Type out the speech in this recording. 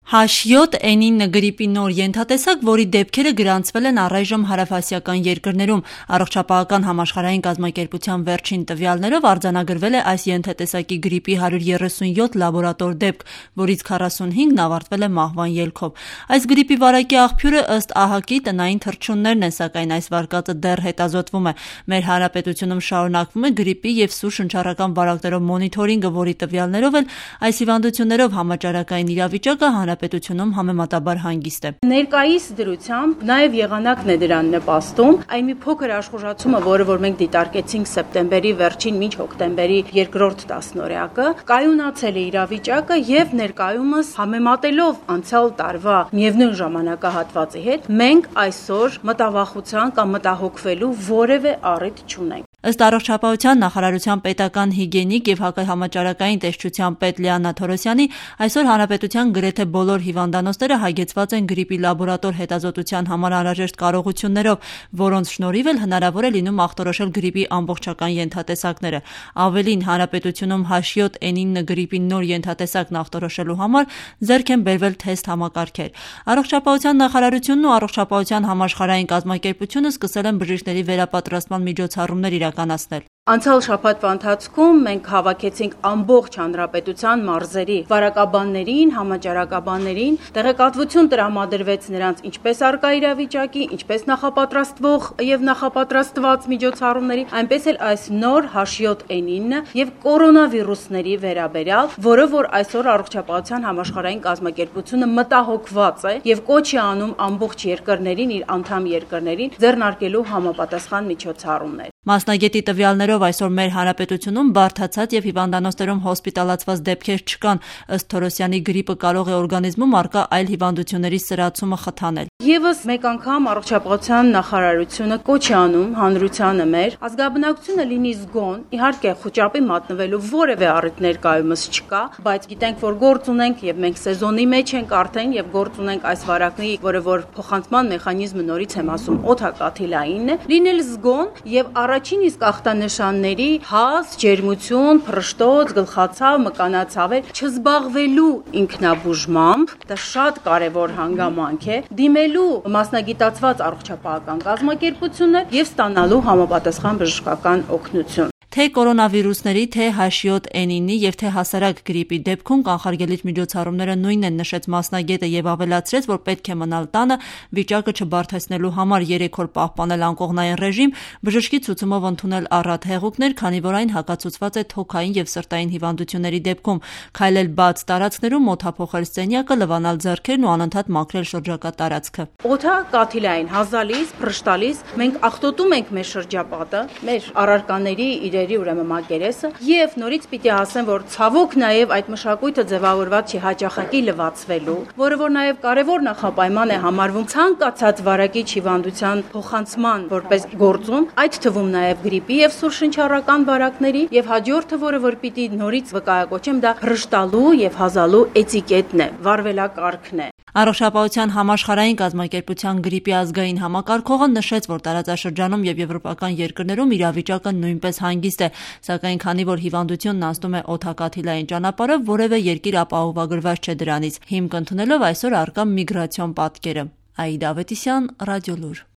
H7N9 գրիպի նոր ենթատեսակ, որի դեպքերը գրանցվել են առայժմ հարավասիական երկրներում, Առողջապահական համաշխարհային կազմակերպության վերջին տվյալներով արձանագրվել է այս ենթատեսակի գրիպի 137 լաբորատոր դեպք, որից 45-ն ավարտվել է մահվան ելքով։ Այս գրիպի վարակի աղբյուրը ըստ ԱՀԿ-ի տնային թռչուններն են, սակայն այս վարկածը դեռ հետազոտվում է։ Մեր հանրապետությունում շարունակվում է գրիպի և սուր շնչառական վարակներով մոնիթորինգը, որի տվյալներով էլ այս հիվանդություններով համաճարակային իրավիճակը պետությունում համեմատաբար հանգիստ է։ Ներկայիս դրությամբ նաև եղանակն է դրան նպաստում։ Այն մի փոքր աշխուժացումը, որը որ մենք դիտարկեցինք սեպտեմբերի վերջին մինչ հոկտեմբերի երկրորդ տասնօրյակը, կայունացել է իրավիճակը եւ ներկայումս համեմատելով անցյալ տարվա միևնույն ժամանակահատվածի հետ, մենք այսօր մտավախության կամ մտահոգվելու որևէ առիթ չունենք։ Ըստ Առողջապահության նախարարության պետական հիգիենիկ և հակահամաճարակային տեսչության պետ Լիաննա Թորոսյանի, այսօր հանրապետության գրեթե բոլոր հիվանդանոցները հագեցված են գրիպի լաբորատոր հետազոտության համար անհրաժեշտ կարողություններով, որոնց շնորհիվ էլ հնարավոր է լինում ախտորոշել գրիպի ամբողջական ենթատեսակները։ Ավելին, հանրապետությունում H7N9 գրիպի նոր ենթատեսակն ախտորոշելու համար ձեռք են բերվել թեստ համակարգեր։ Առողջապահության նախարարությունն ու Առողջապահության համաշխարհային կազմակերպությունը սկսել են բժիշկների վերապատրաստման միջոցառումներ իրականացնել։ Անցյալ շաբաթվա ընթացքում մենք հավաքեցինք ամբողջ հանրապետության մարզերի վարակաբաններին, համաճարակաբաններին, տեղեկատվություն տրամադրվեց նրանց ինչպես արկա իրավիճակի, ինչպես նախապատրաստվող եւ նախապատրաստված միջոցառումների, այնպես էլ այս նոր H7N9 եւ կորոնավիրուսների վերաբերյալ, որը որ այսօր Առողջապահության համաշխարհային կազմակերպությունը մտահոգված է եւ կոչ է անում ամբողջ երկրներին, իր անդամ երկրներին ձեռնարկելու համապատասխան միջոցառումներ։ Մասնագետի տվյալներով այսօր մեր հանրապետությունում բարդացած եւ հիվանդանոցներում հոսպիտալացված դեպքեր չկան։ Ըստ Թորոսյանի, գրիպը կարող է օրգանիզմում առկա այլ հիվանդությունների սրացումը խթանել։ Եվս մեկ անգամ Առողջապահության նախարարությունը կոչ է անում հանրությանը մեր ազգաբնակությունը լինի զգոն, իհարկե խոճապի մատնվելու որևէ առիթ ներկայումս չկա, բայց գիտենք, որ գործ ունենք եւ մենք սեզոնի մեջ ենք արդեն եւ գործ ունենք այս վարակների, որը որ փոխանցման մեխանիզմը նորից եմ ասում, օդակաթիլայինն է, լինել զգոն եւ առաջին իսկ ախտանշանների հազ, ջերմություն, փռշտոց, գլխացավ, մկանացավեր չզբաղվելու ինքնաբուժմամբ, դա շատ կարևոր հանգամանք է, դիմելու մասնագիտացված առողջապահական կազմակերպություններ եւ ստանալու համապատասխան բժշկական օգնություն։ Թե կորոնավիրուսների, թե H7N9 եւ թե հասարակ գրիպի դեպքում կանխարգելիչ միջոցառումները նույնն են, նշեց մասնագետը եւ ավելացրեց, որ պետք է մնալ տանը վիճակը չբարդացնելու համար 3 օր պահպանել անկողնային ռեժիմ, բժշկի ցուցումով ընդունել առատ հեղուկներ, քանի որ այն հակացուցված է թոքային եւ սրտային հիվանդությունների դեպքում, քայլել բաց տարածքներում, օդափոխել սենյակը, լվանալ ձեռքերն ու անընդհատ մաքրել շրջակա տարածքը։ Օդակաթիլային հազալիս, փռշտալիս մենք ախտոտում ենք մեր շրջապատը, մեր առարկաների ուրեմն մակերեսը եւ նորից պիտի ասեմ, որ ցավոք նաեւ այդ մշակույթը ձևավորված չի հաճախակի լվացվելու, որը որ նաեւ կարեւոր նախապայման է համարվում ցանկացած վարակիչ հիվանդության փոխանցման որպես գործում, այդ թվում նաեւ գրիպի եւ սուր շնչառական վարակների եւ հաջորդը, որը որ պիտի նորից վկայակոչեմ, դա հրշտալու եւ հազալու էտիկետն է, վարվելակարգն է։ Առողջապահության համաշխարհային կազմակերպության գրիպի ազգային համակարգողը նշեց, որ տարածաշրջանում եւ եվրոպական երկրներում իրավիճակը նույնպես հանգիստ է, սակայն քանի որ հիվանդությունն անցնում է օդակաթիլային ճանապարհով, որևէ երկիր ապահովագրված չէ դրանից, հիմք ընդունելով այսօր առկա միգրացիոն պատկերը։ Աիդա Ավետիսյան, Ռադիոլուր։